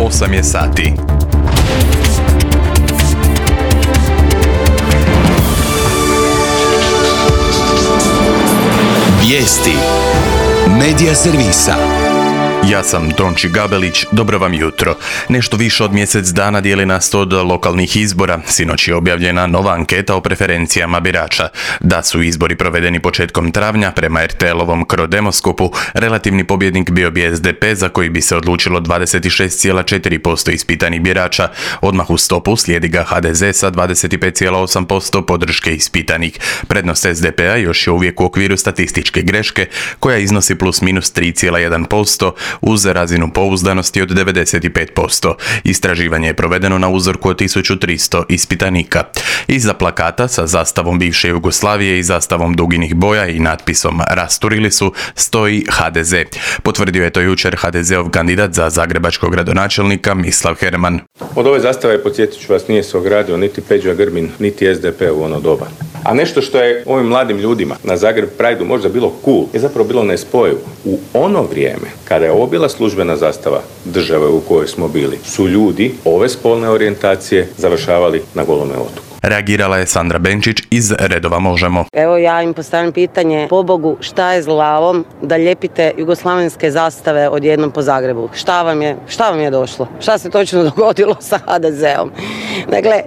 8 je sati. Vijesti Medija servisa. Ja sam Tonči Gabelić, dobro vam jutro. Nešto više od mjesec dana dijeli nas od lokalnih izbora. Sinoć je objavljena nova anketa o preferencijama birača. Da su izbori provedeni početkom travnja, prema RTL-ovom Crodemoskopu, relativni pobjednik bio bi SDP, za koji bi se odlučilo 26,4% ispitanih birača. Odmah u stopu slijedi ga HDZ sa 25,8% podrške ispitanih. Prednost SDP-a još je uvijek u okviru statističke greške, koja iznosi plus minus 3,1%, uz razinu pouzdanosti od 95%. Istraživanje je provedeno na uzorku od 1300 ispitanika. Iza plakata sa zastavom bivše Jugoslavije i zastavom duginih boja i natpisom "Rasturili su" stoji HDZ. Potvrdio je to jučer HDZ-ov kandidat za zagrebačkog gradonačelnika Mislav Herman. Od ove zastave, podsjetit ću vas, nije se ogradio niti Peđa Grbin, niti SDP u ono doba. A nešto što je ovim mladim ljudima na Zagreb Prideu možda bilo cool, je zapravo bilo nespojivo. U ono vrijeme, kada je ovo bila službena zastava države u kojoj smo bili, su ljudi ove spolne orijentacije završavali na Golome otoku. Reagirala je Sandra Benčić iz redova Možemo. Evo ja im postavljam pitanje, pobogu, šta je s glavom da lijepite jugoslavenske zastave odjednom po Zagrebu? Šta vam je došlo? Šta se točno dogodilo sa HDZ-om? Dakle,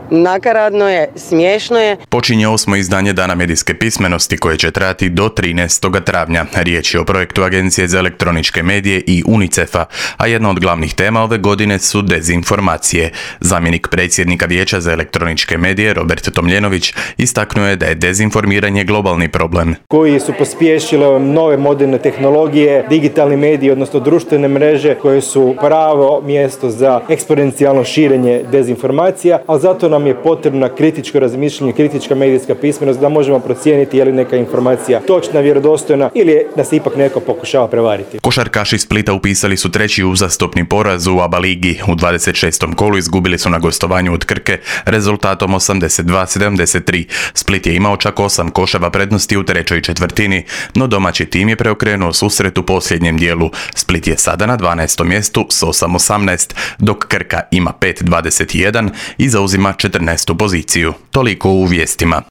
nakaradno je, smiješno je. Počinje 8. izdanje Dana medijske pismenosti, koje će trajati do 13. travnja. Riječ je o projektu Agencije za elektroničke medije i UNICEF-a, a jedna od glavnih tema ove godine su dezinformacije. Zamjenik predsjednika Vijeća za elektroničke medije, Robert Tomljenović, istaknuo je da je dezinformiranje globalni problem. Koji su pospješile nove moderne tehnologije, digitalni mediji, odnosno društvene mreže, koje su pravo mjesto za eksponencijalno širenje dezinformacija, ali zato nam je potrebna kritičko razmišljanje, kritička medijska pismenost da možemo procijeniti je li neka informacija točna, vjerodostojna ili da se ipak neko pokušava prevariti. Košarkaši Splita upisali su treći uzastopni poraz u ABA ligi. U 26. kolu izgubili su na gostovanju od Krke rezultatom 82-73. Split je imao čak 8 koševa prednosti u trećoj četvrtini, no domaći tim je preokrenuo susret u posljednjem dijelu. Split je sada na 12. mjestu s 8-18, dok Krka ima 5-21 i zauzima 14. poziciju. Toliko u vijestima.